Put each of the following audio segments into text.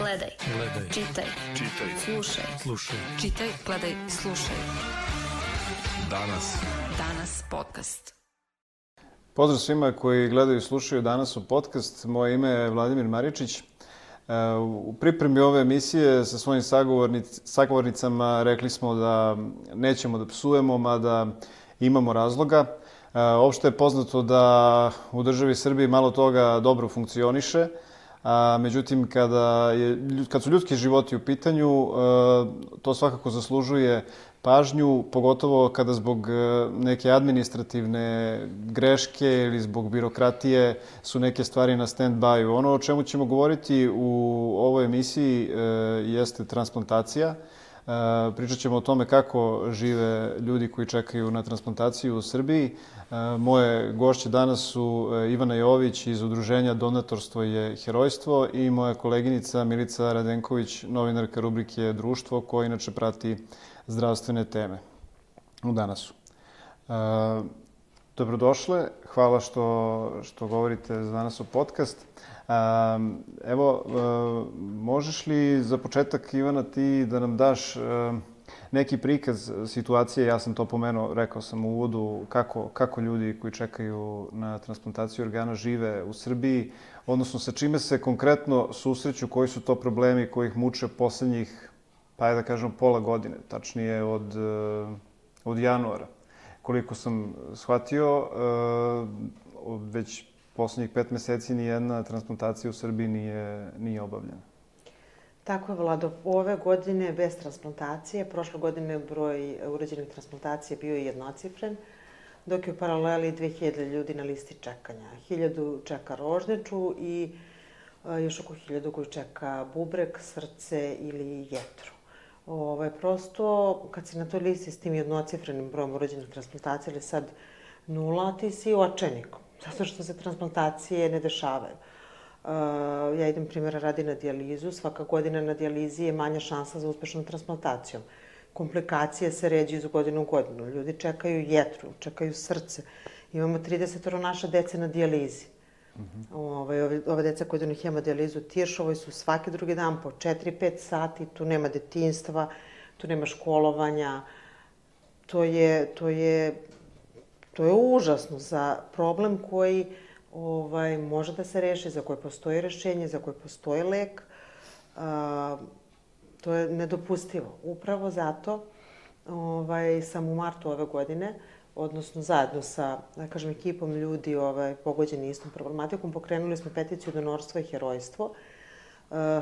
Gledaj. Čitaj. Slušaj. Čitaj, gledaj, slušaj. Danas podcast. Pozdrav svima koji gledaju i slušaju danas u podcast. Moje ime je Vladimir Maričić. U pripremi ove emisije sa svojim sagovornicama rekli smo da nećemo da psujemo, mada imamo razloga. Opšte je poznato da u državi Srbiji malo toga dobro funkcioniše. Međutim, kad su ljudski životi u pitanju, to svakako zaslužuje pažnju, pogotovo kada zbog neke administrativne greške ili zbog birokratije su neke stvari na stand-by. Ono o čemu ćemo govoriti u ovoj emisiji jeste transplantacija. Pričat ćemo o tome kako žive ljudi koji čekaju na transplantaciju u Srbiji. Moje gošće danas su Ivana Jović iz udruženja Donatorstvo je herojstvo i moja koleginica Milica Radenković, novinarka rubrike Društvo, koja inače prati zdravstvene teme u Danasu. Dobrodošle, hvala što govorite za danas u podcast. Evo, možeš li za početak, Ivana, ti da nam daš neki prikaz situacije? Ja sam to pomenuo, rekao sam u uvodu, kako ljudi koji čekaju na transplantaciju organa žive u Srbiji, odnosno sa čime se konkretno susreću, koji su to problemi koji ih muče poslednjih, pa da kažem, pola godine, tačnije od januara. Koliko sam shvatio, već poslednjih 5 meseci nijedna transplantacija u Srbiji nije obavljena. Tako je, Vlado. Ove godine bez transplantacije. Prošle godine broj urađenih transplantacija bio je jednocifren, dok je u paraleli 2000 ljudi na listi čekanja. 1000 čeka rožneču i još oko 1000 koji čeka bubreg, srce ili jetru. Prosto, kad si na toj listi s tim jednocifrenim brojem urađenih transplantacija ili sad 0, ti si očajnik. Zato što se transplantacije ne dešavaju. Ja idem, primjera radi, na dijalizu. Svaka godina na dijalizi je manja šansa za uspešnom transplantacijom. Komplikacije se ređu iz godine u godinu. Ljudi čekaju jetru, čekaju srce. Imamo 30 naše dece na dijalizi. Ove deca koje idu na hemodijalizu Tiršovoj su svaki drugi dan po 4-5 sati. Tu nema detinjstva, tu nema školovanja. To je užasno za problem koji može da se reši, za koje postoji rešenje, za koje postoji lek. To je nedopustivo. Upravo zato sam u martu ove godine, odnosno zajedno sa, da kažem, ekipom ljudi pogođeni istom problematikom, pokrenuli smo peticiju Donorstvo je herojstvo.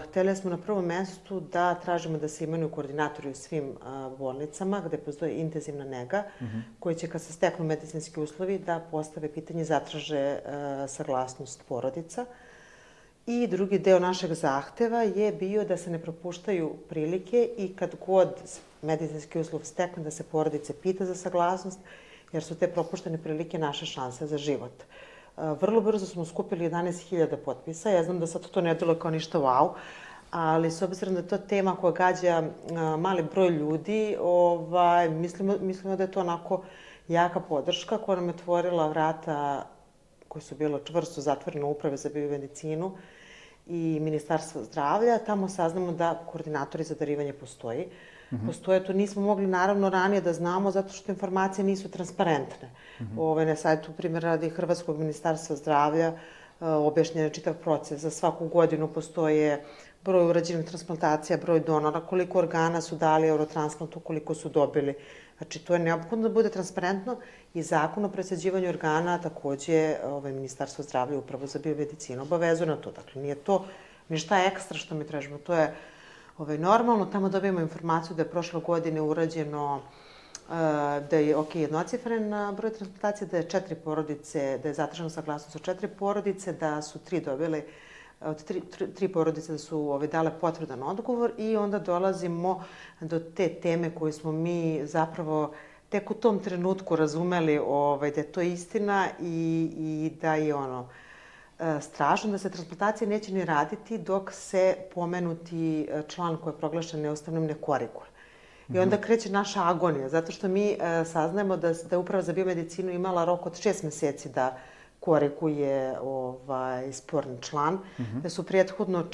Hteli smo na prvom mestu da tražimo da se imenuju koordinatori u svim bolnicama gde postoji intenzivna nega, koji će, kad se steknu medicinski uslovi, da postave pitanje, zatraže saglasnost porodica. I drugi deo našeg zahteva je bio da se ne propuštaju prilike i kad god medicinski uslov stekne da se porodice pita za saglasnost, jer su te propuštene prilike naše šanse za život. Vrlo brzo smo skupili 11.000 potpisa. Ja znam da sad to ne delo kao ništa wow, ali s obzirom da je to tema koja gađa mali broj ljudi, mislimo da je to onako jaka podrška koja nam je otvorila vrata koje su bilo čvrsto zatvorene Uprave za biomedicinu i Ministarstva zdravlja. Tamo saznamo da koordinatori za darivanje postoji. Postoje, to nismo mogli naravno ranije da znamo zato što informacije nisu transparentne. Na sajtu, primjer radi Hrvatskog ministarstva zdravlja, objašnjen je čitav proces. Za svaku godinu postoje broj urađenih transplantacija, broj donora, koliko organa su dali Eurotransplantu, koliko su dobili. Znači, to je neophodno da bude transparentno i Zakon o presađivanju organa takođe Ministarstvo zdravlja i Upravo za biomedicinu obavezuje na to. Dakle, nije to ništa ekstra što mi tražimo. To je normalno. Tamo dobijemo informaciju da je prošle godine urađeno, da je jednocifren broj transplantacija, da je 4 porodice, da je zatražena saglasnost od 4 porodice, da su 3 dobile, od 3 porodice da su dale potvrdan odgovor i onda dolazimo do te teme koju smo mi zapravo tek u tom trenutku razumeli da je to istina i da je strašno, da se transplantacije neće ni raditi dok se pomenuti član koji je proglašen neustavnim ne koriguje. I onda kreće naša agonija, zato što mi saznajemo da je Uprava za biomedicinu imala rok od 6 meseci da koriguje sporni član, da su prethodno,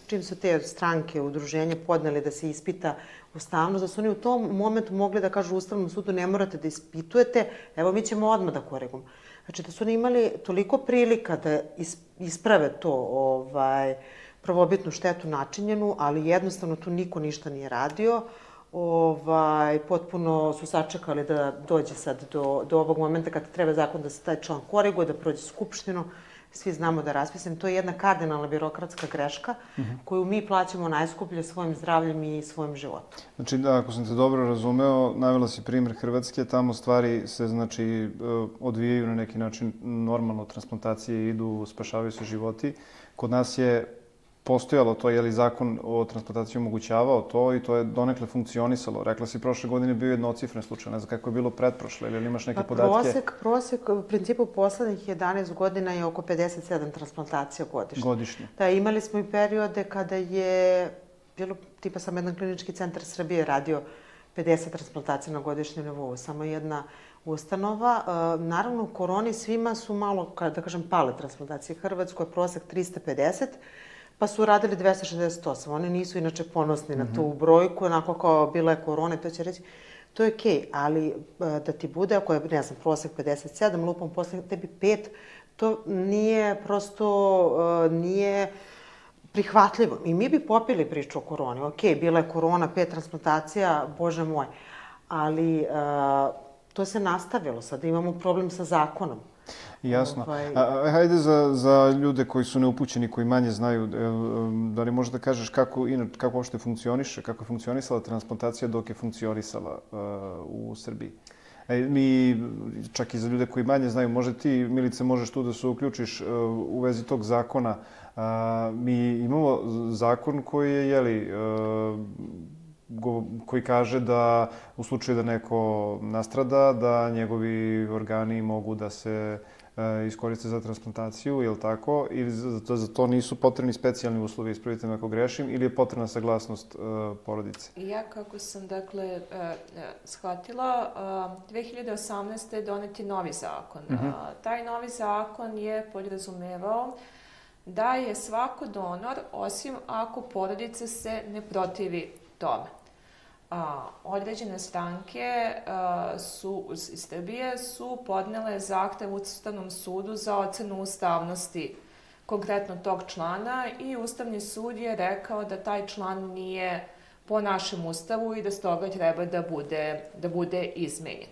čim su te stranke, udruženja podneli da se ispita ustavnost, da su oni u tom momentu mogli da kažu Ustavnom sudu ne morate da ispitujete, evo mi ćemo odmah da korigujemo. Znači da su oni imali toliko prilika da isprave to prvobitnu štetu načinjenu, ali jednostavno tu niko ništa nije radio. Potpuno su sačekali da dođe sad do ovog momenta kad treba zakon da se taj član koriguje, da prođe Skupštinu. Svi znamo da je raspisan. To je jedna kardinalna birokratska greška koju mi plaćamo najskuplje svojim zdravljem i svojim životom. Znači, da, ako sam te dobro razumeo, navela si primjer Hrvatske, tamo stvari se, znači, odvijaju na neki način normalno, transplantacije idu, spašavaju se životi. Kod nas je postojalo to, je li zakon o transplantaciji omogućavao to i to je donekle funkcionisalo. Rekla si, prošle godine bio jednocifren slučaj, ne znam kako je bilo pretprošle, ili imaš neke podatke? Prosek u principu poslednjih 11 godina je oko 57 transplantacija godišnje. Godišnje. Da, imali smo i periode kada je bilo, tipa sam jedan klinički centar Srbije radio 50 transplantacija na godišnjem nivou, samo jedna ustanova. Naravno, u koroni svima su malo, da kažem, pale transplantacije. Hrvatskoj je prosek 350, pa su radili 268. Oni nisu inače ponosni na tu brojku, onako kao bila je korona, to će reći. To je okej, ali da ti bude, ako je, ne znam, prosek 57, lupom posle tebi 5, to nije prosto, nije prihvatljivo. I mi bi popili priču o koroni. Okej, bila je korona, 5 transplantacija, bože moj. Ali to se nastavilo. Sada imamo problem sa zakonom. Jasno. Hajde za ljude koji su neupućeni, koji manje znaju, da li možeš da kažeš kako uopšte funkcioniše, kako je funkcionisala transplantacija dok je funkcionisala u Srbiji? Mi, čak i za ljude koji manje znaju, možda ti, Milice, možeš tu da se uključiš u vezi tog zakona. Mi imamo zakon koji je, jeli, koji kaže da u slučaju da neko nastrada, da njegovi organi mogu da se iskoriste za transplantaciju, je li tako? Ili za to nisu potrebni specijalni uslovi, ispravite me ako grešim, ili je potrebna saglasnost porodice? Ja, kako sam, dakle, shvatila, 2018. je donet je novi zakon. Taj novi zakon je podrazumevao da je svako donor, osim ako porodica se ne protivi tome. Određene stranke iz Srbije su podnele zahtev Ustavnom sudu za ocenu ustavnosti konkretno tog člana i Ustavni sud je rekao da taj član nije po našem Ustavu i da stoga treba da bude izmenjen.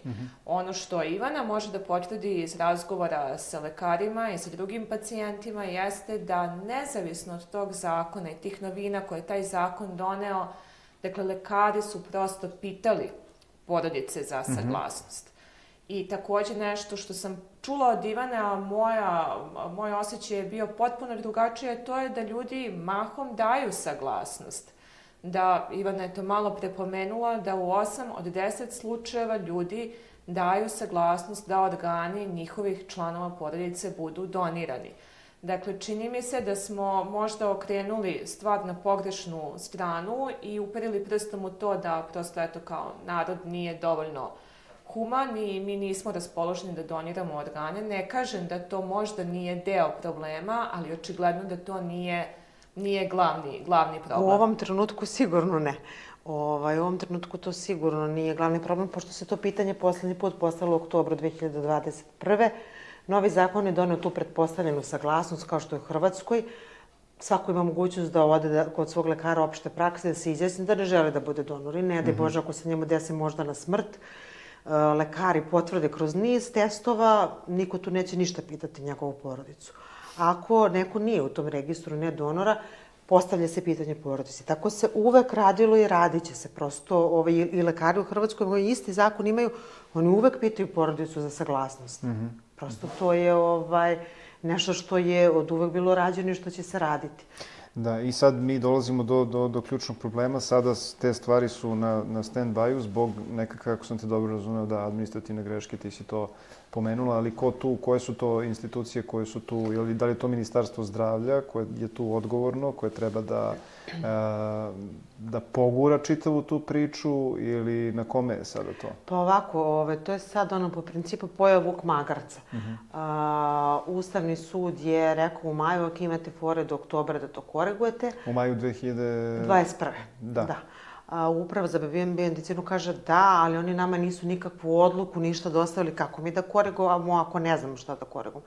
Ono što Ivana može da potvrdi iz razgovora sa lekarima i sa drugim pacijentima jeste da nezavisno od tog zakona i tih novina koje je taj zakon doneo, dakle, lekari su prosto pitali porodice za saglasnost. I takođe nešto što sam čula od Ivane, a moj osjećaj je bio potpuno drugačije, to je da ljudi mahom daju saglasnost. Da, Ivana je to malo prepomenula, da u 8 od 10 slučajeva ljudi daju saglasnost da organi njihovih članova porodice budu donirani. Dakle, čini mi se da smo možda okrenuli stvar na pogrešnu stranu i uperili prstom u to da prosto, eto, kao narod nije dovoljno human i mi nismo raspoloženi da doniramo organe. Ne kažem da to možda nije deo problema, ali očigledno da to nije glavni problem. U ovom trenutku sigurno ne. U ovom trenutku to sigurno nije glavni problem, pošto se to pitanje poslednji put postavilo u oktobru 2021. Novi zakon je doneo tu pretpostavljenu saglasnost, kao što je u Hrvatskoj. Svako ima mogućnost da ode kod svog lekara opšte prakse, da se izjasni da ne žele da bude donor. I ne daj Bože, ako se njemu desi možda na smrt, lekari potvrde kroz niz testova, niko tu neće ništa pitati njegovu porodicu. Ako neko nije u tom registru ne donora, postavlja se pitanje porodici. Tako se uvek radilo i radit će se. Prosto i lekari u Hrvatskoj koji isti zakon imaju, oni uvek pitaju porodicu za saglasnost. Prosto to je nešto što je od uvek bilo rađeno i što će se raditi. Da, i sad mi dolazimo do ključnog problema. Sada te stvari su na stand-by-u zbog nekako, kako sam te dobro razumeo, da administrativne greške, ti si to pomenula, ali ko tu, koje su to institucije koje su tu, ili da li je to Ministarstvo zdravlja koje je tu odgovorno, koje treba da pogura čitavu tu priču ili na kome je sada to? Pa ovako, to je sad po principu pojeo vuk magarca. Ustavni sud je rekao u maju, ako imate fore do oktobra da to korigujete. U maju 2021. Da. Uprava za biomedicinu kaže da, ali oni nama nisu nikakvu odluku, ništa dostavili kako mi da korigujemo ako ne znamo šta da korigujemo.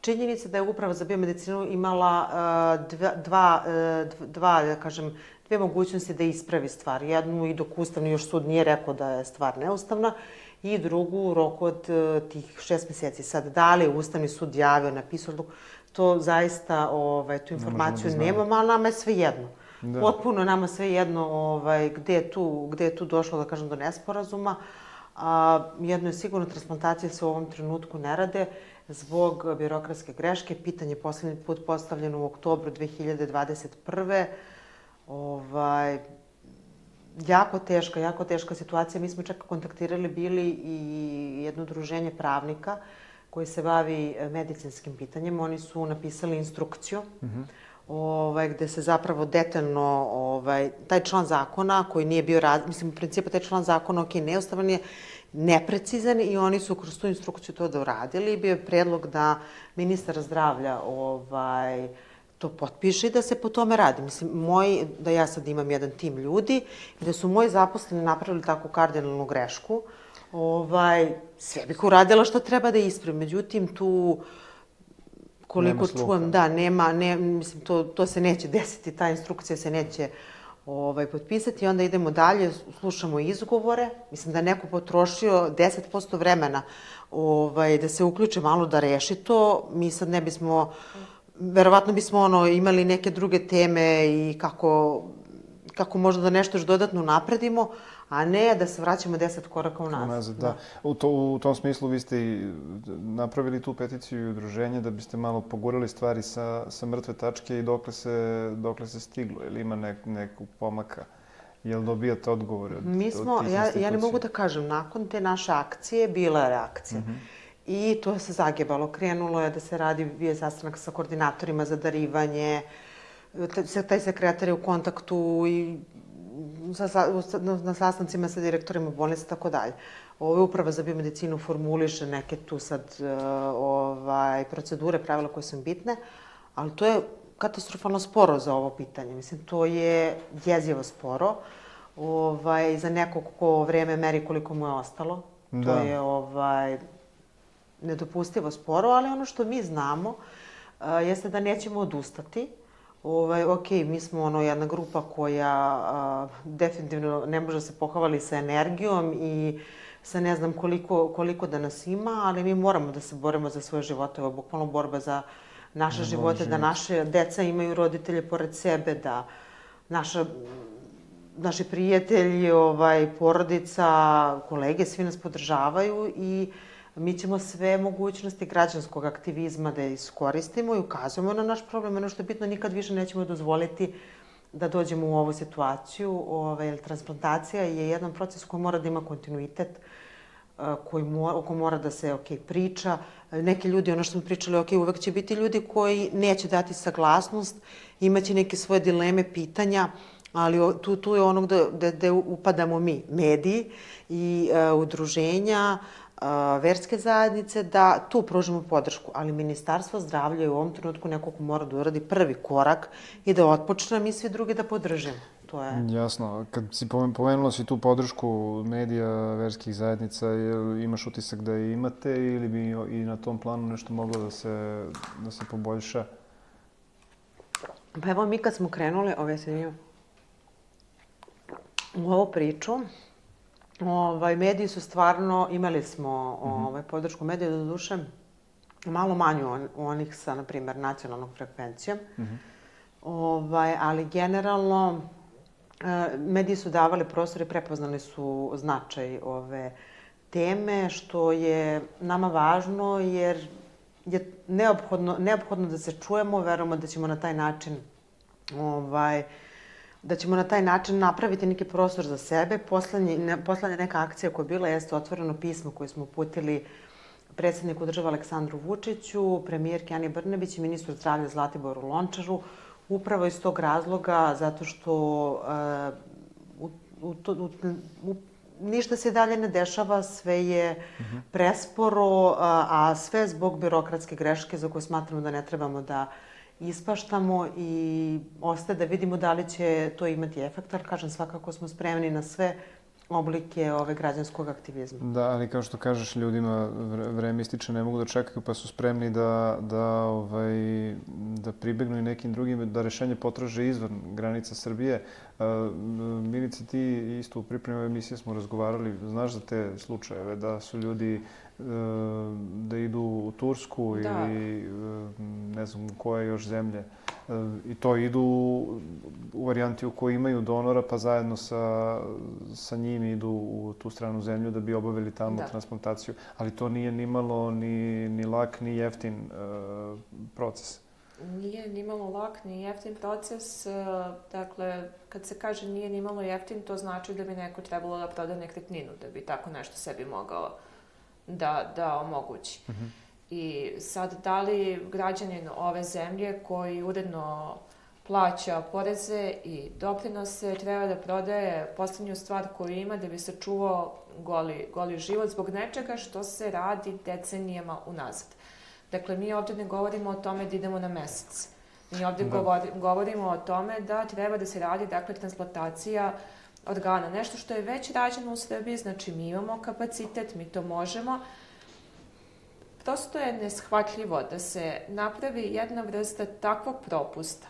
Činjenica da je Uprava za biomedicinu imala dve mogućnosti da ispravi stvar. Jednu i dok Ustavni još sud nije rekao da je stvar neustavna i drugu u roku od tih 6 meseci. Sad, da li je Ustavni sud javio, napisao odluku, to zaista, tu informaciju nemamo, ali nama je sve jedno. Potpuno nama sve jedno gde je tu došlo, da kažem, do nesporazuma. Jedno je sigurno, transplantacije se u ovom trenutku ne rade zbog birokratske greške. Pitanje je poslednji put postavljeno u oktobru 2021. Jako teška situacija. Mi smo čak kontaktirali bili i jedno udruženje pravnika koji se bavi medicinskim pitanjem. Oni su napisali instrukciju gde se zapravo detaljno taj član zakona koji nije bio, mislim, u principu taj član zakona, neustavan je, neprecizan i oni su kroz tu instrukciju to da uradili i bio je predlog da ministar zdravlja to potpiše i da se po tome radi. Mislim, da ja sad imam jedan tim ljudi i da su moji zaposleni napravili takvu kardinalnu grešku, sve bih uradila što treba da ispravim. Međutim, tu koliko čujem, da, mislim, to se neće desiti, ta instrukcija se neće potpisati i onda idemo dalje, slušamo izgovore. Mislim da je neko potrošio 10% vremena da se uključe malo da reši to. Mi sad ne bismo, verovatno bismo imali neke druge teme i kako možda da nešto još dodatno napredimo, a ne da se vraćamo 10 koraka unazad. Da. U tom smislu vi ste i napravili tu peticiju i udruženje da biste malo pogurali stvari sa mrtve tačke i dokle se stiglo. Ili ima nekog pomaka? Jel dobijate odgovore od tih institucija? Ja ne mogu da kažem, nakon te naše akcije bila je reakcija. I to se zagebalo. Krenulo je da se radi, bio je sastanak sa koordinatorima za darivanje, taj sekretar je u kontaktu i na sastancima sa direktorima bolnica i tako dalje. Uprava za biomedicinu formuliše neke tu sad procedure, pravila koje su bitne, ali to je katastrofalno sporo za ovo pitanje. Mislim, to je jezivo sporo. Za nekog ko vreme meri koliko mu je ostalo. To je nedopustivo sporo, ali ono što mi znamo jeste da nećemo odustati. Ok, mi smo jedna grupa koja definitivno ne može se pohvali sa energijom i sa ne znam koliko da nas ima, ali mi moramo da se borimo za svoje živote. Ovo je bukvalno borba za naše živote, da naše deca imaju roditelje pored sebe, da naši prijatelji, porodica, kolege, svi nas podržavaju i mi ćemo sve mogućnosti građanskog aktivizma da iskoristimo i ukazujemo na naš problem. Ono što je bitno, nikad više nećemo dozvoliti da dođemo u ovu situaciju. Transplantacija je jedan proces koji mora da ima kontinuitet, oko mora da se priča. Neki ljudi, ono što smo pričali, uvek će biti ljudi koji neće dati saglasnost, imaće neke svoje dileme, pitanja, ali tu je ono gde upadamo mi, mediji i udruženja, verske zajednice, da tu pružimo podršku. Ali Ministarstvo zdravlja je u ovom trenutku neko ko mora da uradi prvi korak i da otpočne, mi svi drugi da podržimo. Jasno. Kad si pomenula si tu podršku medija, verskih zajednica, imaš utisak da je imate ili bi i na tom planu nešto moglo da se poboljša? Pa evo, mi kad smo krenuli u ovu priču, mediji su stvarno, imali smo podršku medija, do duše malo manju onih sa, na primjer, nacionalnom frekvencijom, ali generalno mediji su davali prostor i prepoznali su značaj ove teme, što je nama važno jer je neophodno da se čujemo, verujemo da ćemo na taj način napraviti neki prostor za sebe. Poslednja neka akcija koja je bila jeste otvoreno pismo koje smo uputili predsjedniku države Aleksandru Vučiću, premijerki Ani Brnabić i ministru zdravlja Zlatiboru Lončaru, upravo iz tog razloga, zato što ništa se dalje ne dešava, sve je presporo, a sve zbog birokratske greške za koje smatramo da ne trebamo da ispaštamo i ostaje da vidimo da li će to imati efekt, ali kažem, svakako smo spremni na sve oblike građanskog aktivizma. Da, ali kao što kažeš, ljudima vreme ističe, ne mogu da čekaju, pa su spremni da pribegnu i nekim drugim, da rešenje potraže izvan granica Srbije. Milice, ti isto u pripremi ove emisije smo razgovarali, znaš za te slučajeve, da su ljudi da idu u Tursku ili ne znam koje još zemlje. I to idu u varijanti u kojoj imaju donora, pa zajedno sa njim idu u tu stranu zemlju da bi obavili tamo transplantaciju. Ali to nije nimalo ni lak, ni jeftin proces. Nije nimalo lak, ni jeftin proces. Dakle, kad se kaže nije nimalo jeftin, to znači da bi neko trebalo da proda nekretninu, da bi tako nešto sebi mogao da omogući. I sad, da li građanin ove zemlje koji uredno plaća poreze i doprinose treba da prodaje poslednju stvar koju ima da bi sačuvao goli život zbog nečega što se radi decenijama unazad. Dakle, mi ovdje ne govorimo o tome da idemo na mesec. Mi ovdje govorimo o tome da treba da se radi, dakle, transplantacija organa. Nešto što je već rađeno u Srbiji, znači mi imamo kapacitet, mi to možemo. Prosto je neshvatljivo da se napravi jedna vrsta takvog propusta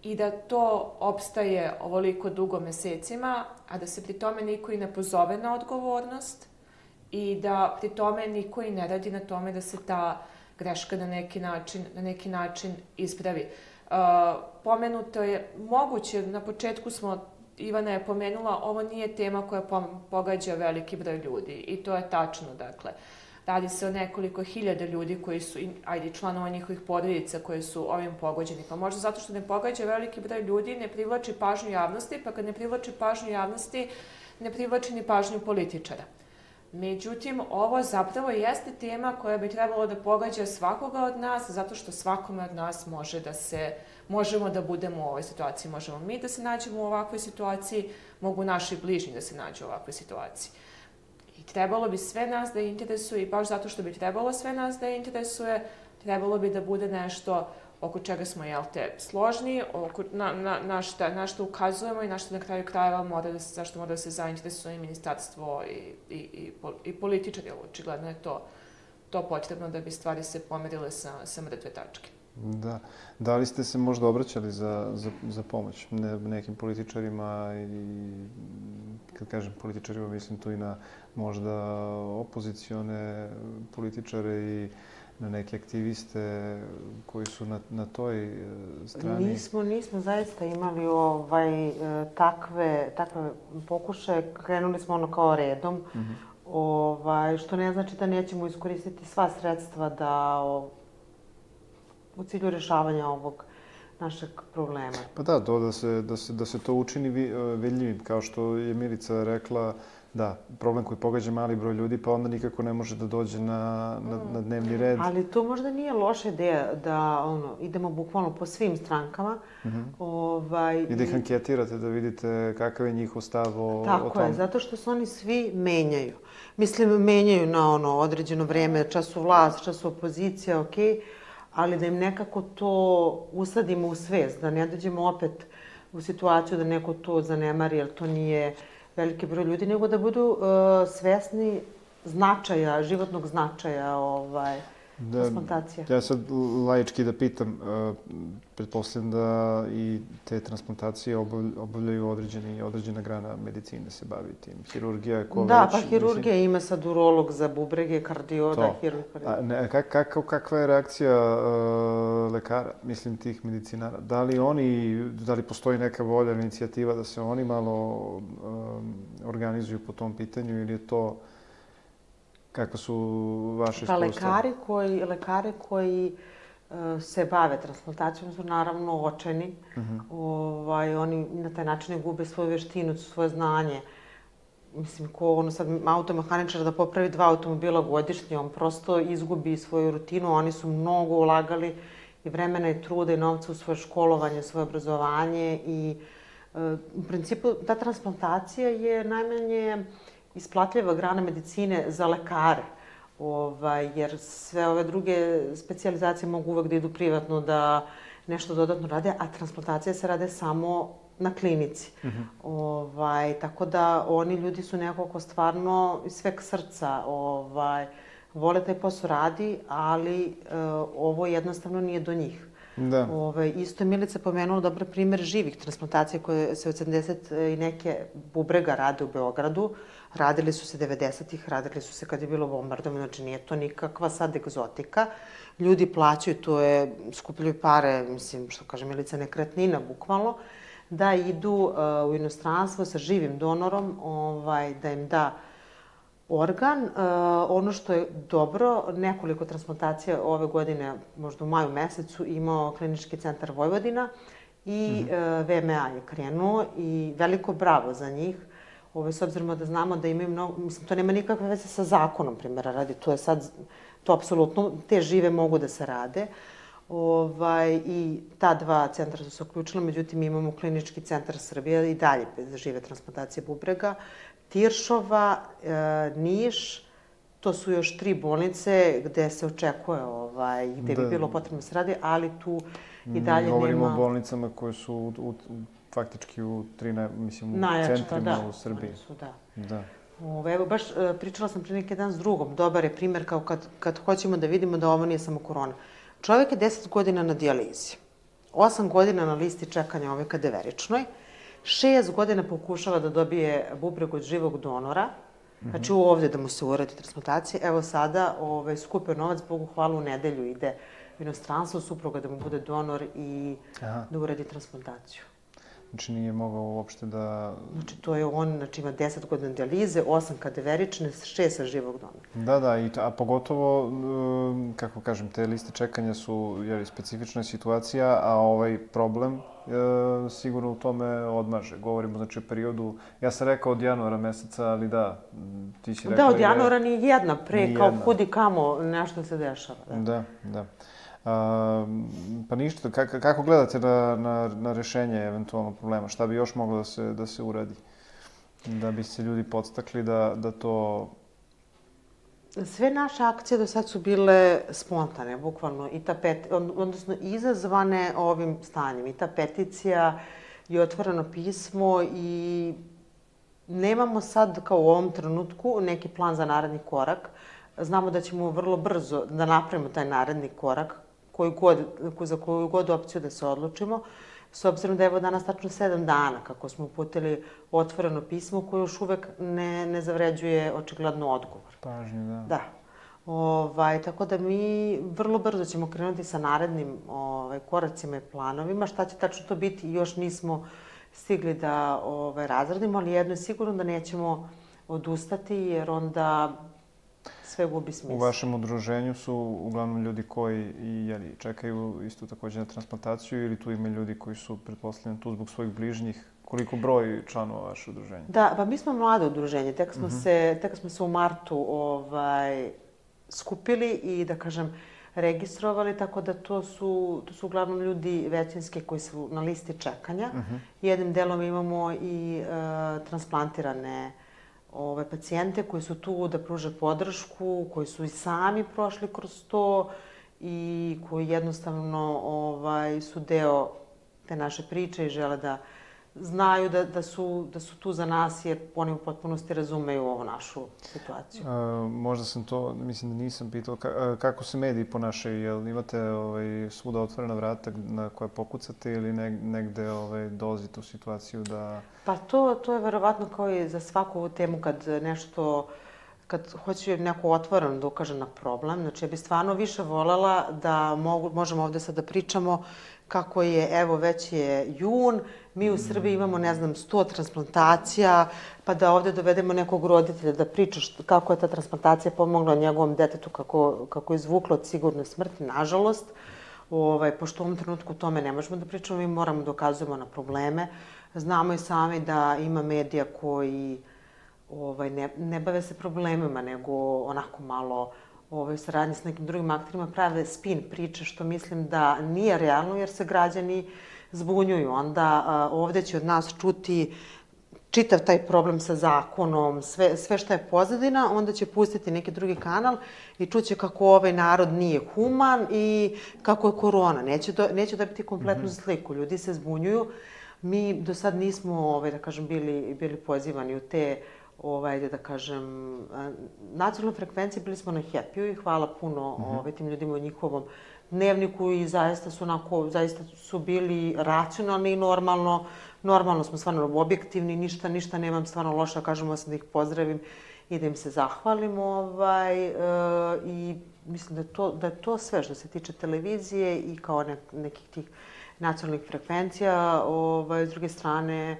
i da to opstaje ovoliko dugo mesecima, a da se pri tome niko i ne pozove na odgovornost i da pri tome niko i ne radi na tome da se ta greška na neki način ispravi. Pomenuto je, moguće, na početku Ivana je pomenula, ovo nije tema koja pogađa veliki broj ljudi i to je tačno, dakle. Radi se o nekoliko hiljada ljudi koji su, članova njihovih porodica koji su ovim pogođeni. Pa možda zato što ne pogađa veliki broj ljudi, ne privlači pažnju javnosti, pa kad ne privlači pažnju javnosti, ne privlači ni pažnju političara. Međutim, ovo zapravo jeste tema koja bi trebalo da pogađa svakoga od nas, zato što svakome od nas možemo da budemo u ovoj situaciji. Možemo mi da se nađemo u ovakvoj situaciji, mogu naši bližnji da se nađu u ovakvoj situaciji. I trebalo bi sve nas da interesuje i baš zato što bi trebalo sve nas da interesuje, trebalo bi da bude nešto oko čega smo, složni, na što ukazujemo i na što na kraju krajeva zašto mora da se zainteresuje i ministarstvo i političari. Očigledno je to potrebno da bi stvari se pomerile sa mrtve tačke. Da. Da li ste se možda obraćali za pomoć nekim političarima i, kad kažem političarima, mislim tu i na možda opozicione političare i na neke aktiviste koji su na toj strani? Nismo zaista imali takve pokušaje. Krenuli smo kao redom, što ne znači da nećemo iskoristiti sva sredstva u cilju rešavanja ovog našeg problema. Pa da, da se to učini vidljivim, kao što je Milica rekla, da, problem koji pogađa mali broj ljudi, pa onda nikako ne može da dođe na dnevni red. Ali to možda nije loša ideja da idemo bukvalno po svim strankama. I da ih anketirate, da vidite kakav je njihov stav o tom. Tako je, zato što se oni svi menjaju. Mislim, menjaju na određeno vreme, čas su vlast, čas su opozicija, okej, ali da im nekako to usadimo u svest, da ne dođemo opet u situaciju da neko to zanemari, jer to nije veliki broj ljudi, nego da budu svesni značaja, životnog značaja transplantacije. Ja sad laički da pitam, pretpostavljam da i te transplantacije obavljaju određena grana medicine se bavi tim. Hirurgija je ko već? Da, pa hirurgija ima sad urolog za bubrege, kardioda, hirurg. Kakva je reakcija lekara, mislim tih medicinara? Da li postoji neka volja, inicijativa da se oni malo organizuju po tom pitanju ili je to... Kako su vaše iskustva? Lekari koji se bave transplantacijom su naravno očajni. Oni na taj način ne gube svoju veštinu, svoje znanje. mislim, ko ono sad automehaničar da popravi 2 automobila godišnje, on prosto izgubi svoju rutinu, oni su mnogo ulagali i vremena i truda i novca u svoje školovanje, svoje obrazovanje i u principu ta transplantacija je najmanje isplatljiva grana medicine za lekare, jer sve ove druge specijalizacije mogu uvek da idu privatno, da nešto dodatno rade, a transplantacija se rade samo na klinici. Tako da oni ljudi su nekako stvarno iz sveg srca vole taj posao radi, ali ovo jednostavno nije do njih. Da. Isto je Milica pomenula dobar primer živih transplantacija koje se od 70 i neke bubrega rade u Beogradu. Radili su se 90-ih, radili su se kad je bilo bombardovanje, znači nije to nikakva sad egzotika. Ljudi plaćaju, to je, skupljaju pare, mislim, što kaže Milica, nekretnina, bukvalno, da idu u inostranstvo sa živim donorom, da im da organ. Ono što je dobro, nekoliko transplantacija ove godine, možda u maju mesecu, imao Klinički centar Vojvodina i VMA je krenuo i veliko bravo za njih. S obzirom da znamo da imaju mnogo, mislim, to nema nikakve veze sa zakonom, primjera radi, to je sad, to apsolutno, te žive mogu da se rade. I ta 2 centra su se uključila, međutim imamo Klinički centar Srbije i dalje za žive transplantacije bubrega, Tiršova, Niš, to su još 3 bolnice gde se očekuje, gde bi bilo potrebno se radi, ali tu i dalje nema... Govorimo o bolnicama koje su faktički u 3, mislim, centrima u Srbiji. Da. Evo, baš pričala sam pre neki dan s drugom. Dobar je primer kao kad hoćemo da vidimo da ovo nije samo korona. Čovjek je 10 godina na dijalizi, 8 godina na listi čekanja ove kadaveričnoj, 6 godina pokušava da dobije bubreg od živog donora, znači ovde da mu se uradi transplantacija. Evo sada skupio novac, Bogu hvala, u nedelju ide u inostranstvo, supruga da mu bude donor i da uradi transplantaciju. Znači nije mogao uopšte da... Znači to je on, znači ima 10 godina dijalize, 8 kadaverične, 6 sa živog donora. Da, a pogotovo, kako kažem, te liste čekanja su specifična situacija, a ovaj problem sigurno u tome odmaže. Govorimo, znači, o periodu, ja sam rekao od januara meseca, ali da, ti si rekao... Da, od januara ni jedna, kao kudi kamo nešto se dešava. Da. Pa ništa, kako gledate na rešenje eventualno problema? Šta bi još moglo da se uradi? Da bi se ljudi podstakli da to... Sve naše akcije do sad su bile spontane, bukvalno, odnosno izazvane ovim stanjem. I ta peticija i otvoreno pismo i nemamo sad, kao u ovom trenutku, neki plan za naredni korak. Znamo da ćemo vrlo brzo da napravimo taj naredni korak, za koju god opciju da se odlučimo, s obzirom da je evo danas tačno 7 dana kako smo uputili otvoreno pismo koje još uvek ne zavređuje očigledno odgovor. Pažnju, da. Da. Tako da mi vrlo brzo ćemo krenuti sa narednim koracima i planovima. Šta će tačno to biti još nismo stigli da razradimo, ali jedno je sigurno da nećemo odustati jer onda sve gubi smisla. U vašem udruženju su uglavnom ljudi koji čekaju isto takođe na transplantaciju ili tu ima ljudi koji su, pretpostavljeni, tu zbog svojih bližnjih? Koliko broj članova vaše udruženje? Da, pa mi smo mlado udruženje. Tek smo se u martu skupili i, da kažem, registrovali, tako da to su uglavnom ljudi većinski koji su na listi čekanja. Jednim delom imamo i transplantirane pacijente koji su tu da pruže podršku, koji su i sami prošli kroz to i koji jednostavno su deo te naše priče i žele da znaju da su tu za nas jer oni u potpunosti razumeju ovu našu situaciju. Možda sam to, mislim da nisam pitao, kako se mediji ponašaju? Jel imate svuda otvorena vrata na koje pokucate ili negde dolazite u situaciju da... Pa to je verovatno kao i za svaku ovu temu kad hoće neko otvoreno da ukaže na problem. Znači, ja bih stvarno više voljela da možemo ovde sad da pričamo kako je, evo, već je jun, mi u Srbiji imamo, 100 transplantacija, pa da ovde dovedemo nekog roditelja da priča kako je ta transplantacija pomogla njegovom detetu, kako je izvuklo od sigurne smrti, nažalost. Pošto u ovom trenutku o tome ne možemo da pričamo, mi moramo da ukazujemo na probleme. Znamo i sami da ima medija koji ne bave se problemima, nego onako malo saradnje s nekim drugim akterima, prave spin priče, što mislim da nije realno, jer se građani zbunjuju. Onda ovde će od nas čuti čitav taj problem sa zakonom, sve što je pozadina, onda će pustiti neki drugi kanal i čuće kako ovaj narod nije human i kako je korona. Neće dobiti kompletnu sliku. Ljudi se zbunjuju. Mi do sad nismo, da kažem, bili pozivani u te, da kažem, nacionalne frekvencije. Bili smo na Happy-u i hvala puno tim ljudima u njihovom dnevniku i zaista su bili racionalni i normalno smo stvarno objektivni, ništa nemam stvarno loše, kažemo sam da ih pozdravim i da im se zahvalim. I mislim da je to sve što se tiče televizije i kao nekih tih nacionalnih frekvencija. S druge strane,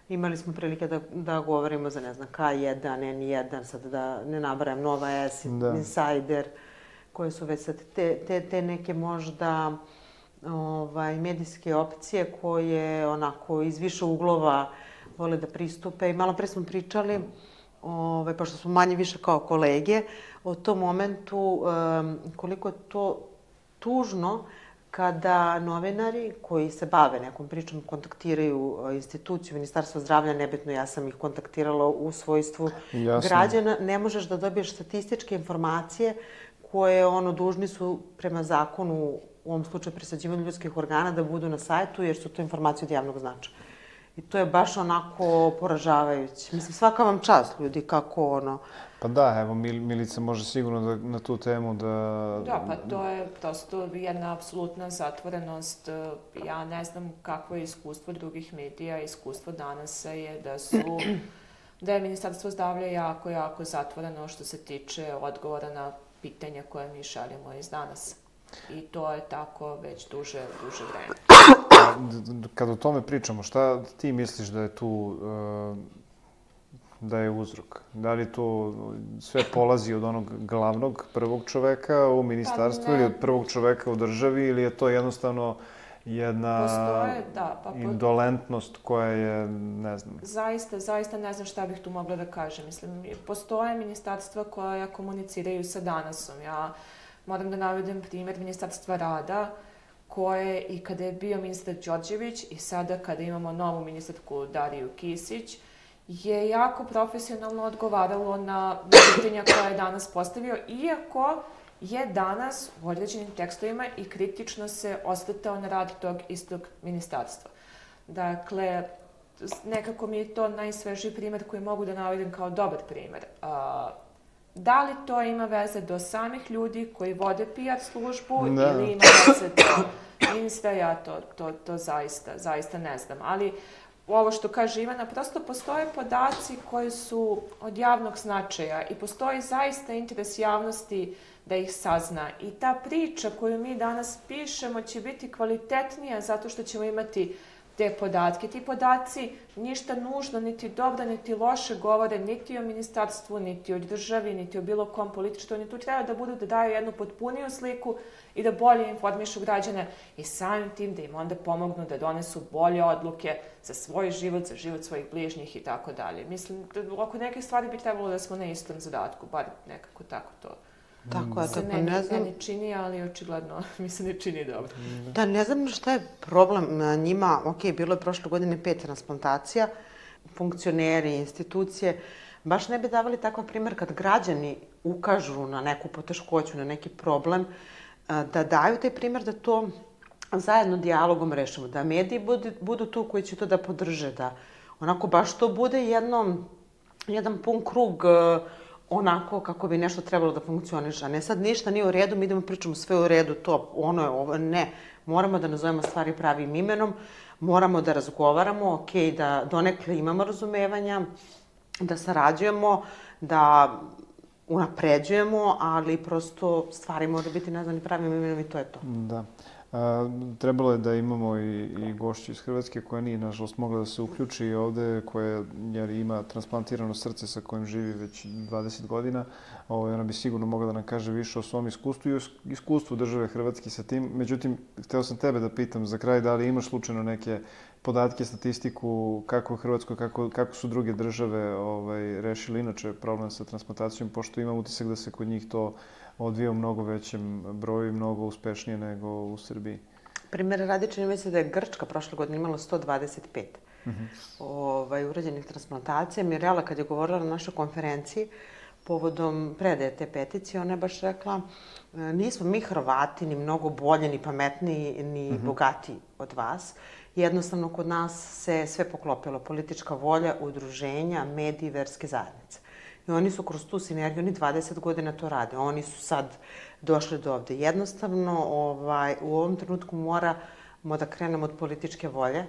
imali smo prilike da govorimo za, ne znam, K1, N1, sad da ne nabrajam, Nova S, Insider, koje su već sad te neke možda medijske opcije koje onako iz više uglova vole da pristupe. I malo pre smo pričali, pošto smo manje više kao kolege, o tom momentu koliko je to tužno kada novinari koji se bave nekom pričom kontaktiraju instituciju, Ministarstvo zdravlja, nebitno, ja sam ih kontaktirala u svojstvu građana, ne možeš da dobiješ statističke informacije koje dužni su prema zakonu, u ovom slučaju presađivanju ljudskih organa, da budu na sajtu, jer su to informacije od javnog značaja. I to je baš onako poražavajuće. Mislim, svaka vam čast, ljudi, kako Pa da, evo, Milica može sigurno na tu temu da... Da, pa to je prosto jedna apsolutna zatvorenost. Ja ne znam kakvo je iskustvo drugih medija. Iskustvo danas je da je Ministarstvo zdravlja jako zatvoreno što se tiče odgovora na pitanja koje mi šaljemo iz danas. I to je tako već duže vreme. Kad o tome pričamo, šta ti misliš da je tu, da je uzrok? Da li to sve polazi od onog glavnog prvog čoveka u ministarstvu ili od prvog čoveka u državi, ili je to jednostavno jedna indolentnost koja je, ne znam... Zaista ne znam šta bih tu mogla da kažem. Mislim, postoje ministarstva koja komuniciraju sa danasom. Ja moram da navedem primjer Ministarstva rada, koje i kada je bio ministar Đorđević i sada kada imamo novu ministarku Dariju Kisić, je jako profesionalno odgovaralo na pitanja koja je danas postavio, iako je danas u određenim tekstovima i kritično se osvrtao na rad tog istog ministarstva. Dakle, nekako mi je to najsvežiji primjer koji mogu da navedem kao dobar primjer. Da li to ima veze do samih ljudi koji vode PR službu ili ima veze do ministra, ja to zaista ne znam. Ali ovo što kaže Ivana, prosto postoje podaci koji su od javnog značaja i postoji zaista interes javnosti da ih sazna. I ta priča koju mi danas pišemo će biti kvalitetnija zato što ćemo imati te podatke. Ti podaci ništa nužno, niti dobro, niti loše govore, niti o ministarstvu, niti o državi, niti o bilo kom političkom. Oni tu treba da budu da daju jednu potpuniju sliku i da bolje informišu građane i samim tim da im onda pomognu da donesu bolje odluke za svoj život, za život svojih bližnjih i tako dalje. Mislim, oko neke stvari bi trebalo da smo na istom zadatku, bar nekako tako to. Tako je, tako ne znam. Ne čini, ali očigledno mi se ne čini dobro. Da, ne znam šta je problem njima. Ok, bilo je prošle godine 5 transplantacija, funkcioneri, institucije. Baš ne bi davali takav primjer kad građani ukažu na neku poteškoću, na neki problem, da daju taj primjer da to zajedno dijalogom rešimo, da mediji budu tu koji će to da podrže, da onako baš to bude jedan pun krug onako kako bi nešto trebalo da funkcioniše, a ne sad ništa nije u redu, mi idemo pričamo sve u redu, to, ono je ovo, ne. Moramo da nazovemo stvari pravim imenom, moramo da razgovaramo, ok, da donekle imamo razumevanja, da sarađujemo, da unapređujemo, ali prosto stvari moraju biti nazvani pravim imenom i to je to. Da. Trebalo je da imamo i gošću iz Hrvatske koja nije, nažalost, mogla da se uključi ovde, koja ima transplantirano srce sa kojim živi već 20 godina. Ona bi sigurno mogla da nam kaže više o svom iskustvu i o iskustvu države Hrvatske sa tim. Međutim, hteo sam tebe da pitam za kraj da li imaš slučajno neke podatke, statistiku, kako u Hrvatskoj, kako su druge države rešili inače problem sa transplantacijom, pošto imam utisak da se kod njih to odvija u mnogo većem broju i mnogo uspešnije nego u Srbiji. Primjer radi, čini mi se da je Grčka prošle godine imala 125 urađenih transplantacija. Mirela, kad je govorila na našoj konferenciji povodom predaje te peticije, ona je baš rekla nismo mi Hrvati ni mnogo bolje, ni pametniji, ni bogatiji od vas. Jednostavno, kod nas se sve poklopilo. Politička volja, udruženja, mediji, verske zajednice. I oni su kroz tu sinergiju, oni 20 godina to rade. Oni su sad došli do ovde. Jednostavno, u ovom trenutku moramo da krenemo od političke volje,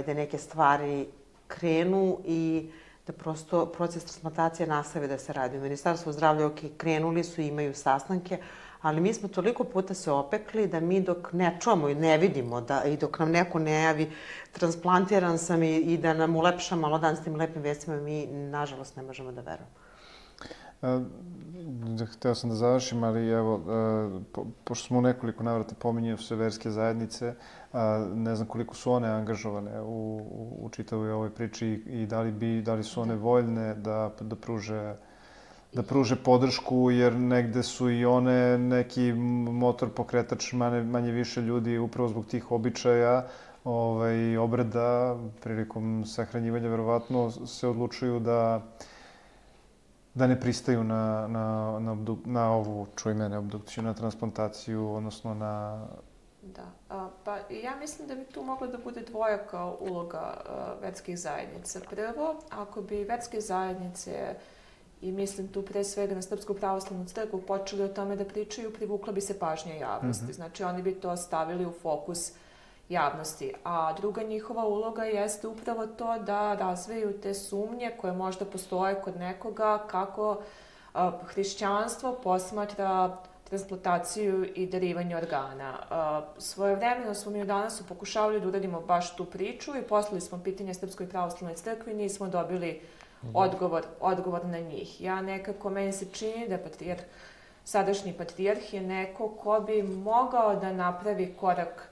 da neke stvari krenu i da prosto proces transplantacije nastavi da se radi. U Ministarstvu zdravlja krenuli su i imaju sastanke, ali mi smo toliko puta se opekli da mi dok ne čujemo i ne vidimo i dok nam neko ne javi transplantiran sam i da nam ulepša malo dan s tim lepim vestima, mi nažalost ne možemo da verujemo. Hteo sam da završim, ali evo, pošto smo u nekoliko navrata pominjali sve verske zajednice, ne znam koliko su one angažovane u čitavoj ovoj priči i da li su one voljne da pruže podršku, jer negde su i one neki motor pokretač manje više ljudi upravo zbog tih običaja i obreda prilikom sahranjivanja verovatno se odlučuju da ne pristaju na ovu, čuj mene, obdukciju, na transplantaciju, odnosno na... Da, pa ja mislim da bi tu mogla da bude dvojaka uloga verskih zajednica. Prvo, ako bi verske zajednice, i mislim tu pre svega na Srpsku pravoslavnu crkvu, počeli o tome da pričaju, privukla bi se pažnja javnosti. Znači, oni bi to stavili u fokus javnosti. A druga njihova uloga jeste upravo to da razviju te sumnje koje možda postoje kod nekoga kako hrišćanstvo posmatra transplantaciju i darivanje organa. Svojevremeno smo mi danas pokušavali da uradimo baš tu priču i poslali smo pitanje Srpskoj pravoslavnoj crkvi i nismo dobili odgovor na njih. Meni se čini da sadašnji patrijarh je neko ko bi mogao da napravi korak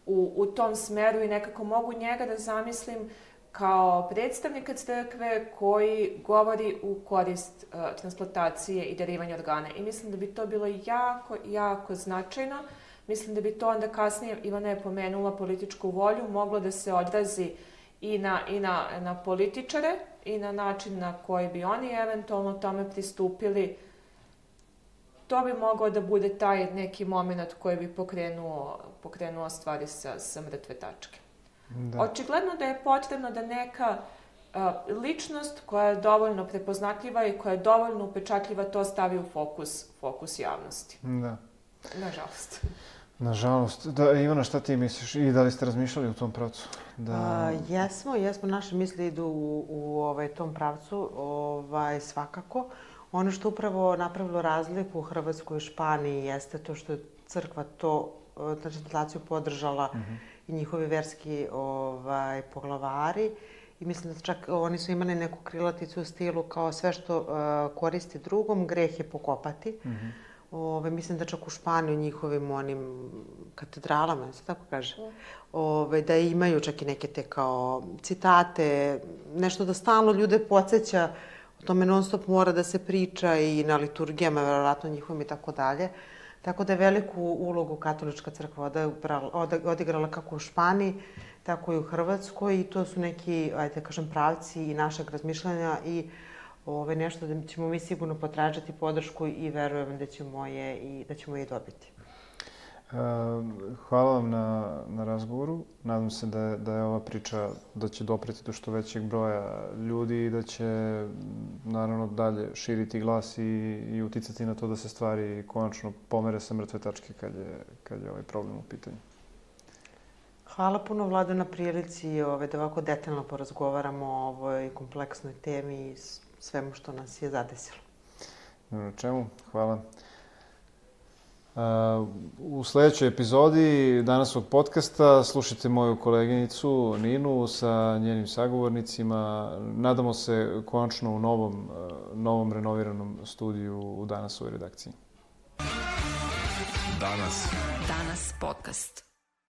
u tom smeru i nekako mogu njega da zamislim kao predstavnika crkve koji govori u korist transplantacije i darivanja organa. I mislim da bi to bilo jako, jako značajno. Mislim da bi to onda kasnije, Ivana je pomenula političku volju, moglo da se odrazi i na političare i na način na koji bi oni eventualno tome pristupili. To bi mogao da bude taj neki moment koji bi pokrenuo stvari sa mrtve tačke. Očigledno da je potrebno da neka ličnost koja je dovoljno prepoznatljiva i koja je dovoljno upečatljiva to stavi u fokus javnosti. Da. Nažalost. Nažalost. Ivana, šta ti misliš? I da li ste razmišljali u tom pravcu? Jesmo. Naše misli idu u tom pravcu, svakako. Ono što upravo napravilo razliku u Hrvatskoj i Španiji jeste to što je crkva transplantaciju podržala i njihovi verski poglavari. I mislim da čak oni su imali neku krilaticu u stilu kao sve što koristi drugom, greh je pokopati. Mislim da čak u Španiji u njihovim onim katedralama, se tako kaže, da imaju čak i neke te kao citate, nešto da stalno ljude podsjeća. O tome non stop mora da se priča i na liturgijama, verovatno njihovim i tako dalje. Tako da je veliku ulogu katolička crkva odigrala kako u Španiji, tako i u Hrvatskoj i to su neki, ajde kažem, pravci i našeg razmišljanja i nešto da ćemo mi sigurno potražiti podršku i verujem da ćemo je dobiti. Hvala vam na razgovoru. Nadam se da je ova priča, da će dopreti do što većeg broja ljudi i da će naravno dalje širiti glas i uticati na to da se stvari konačno pomere sa mrtve tačke kad je ovaj problem u pitanju. Hvala puno, Vlado, na prilici da ovako detaljno porazgovaramo o ovoj kompleksnoj temi i svemu što nas je zadesilo. Na čemu? Hvala. U sledećoj epizodi Danasovog podcasta slušajte moju koleginicu Ninu sa njenim sagovornicima. Nadamo se konačno u novom renoviranom studiju u Danasovoj redakciji. Danas podcast.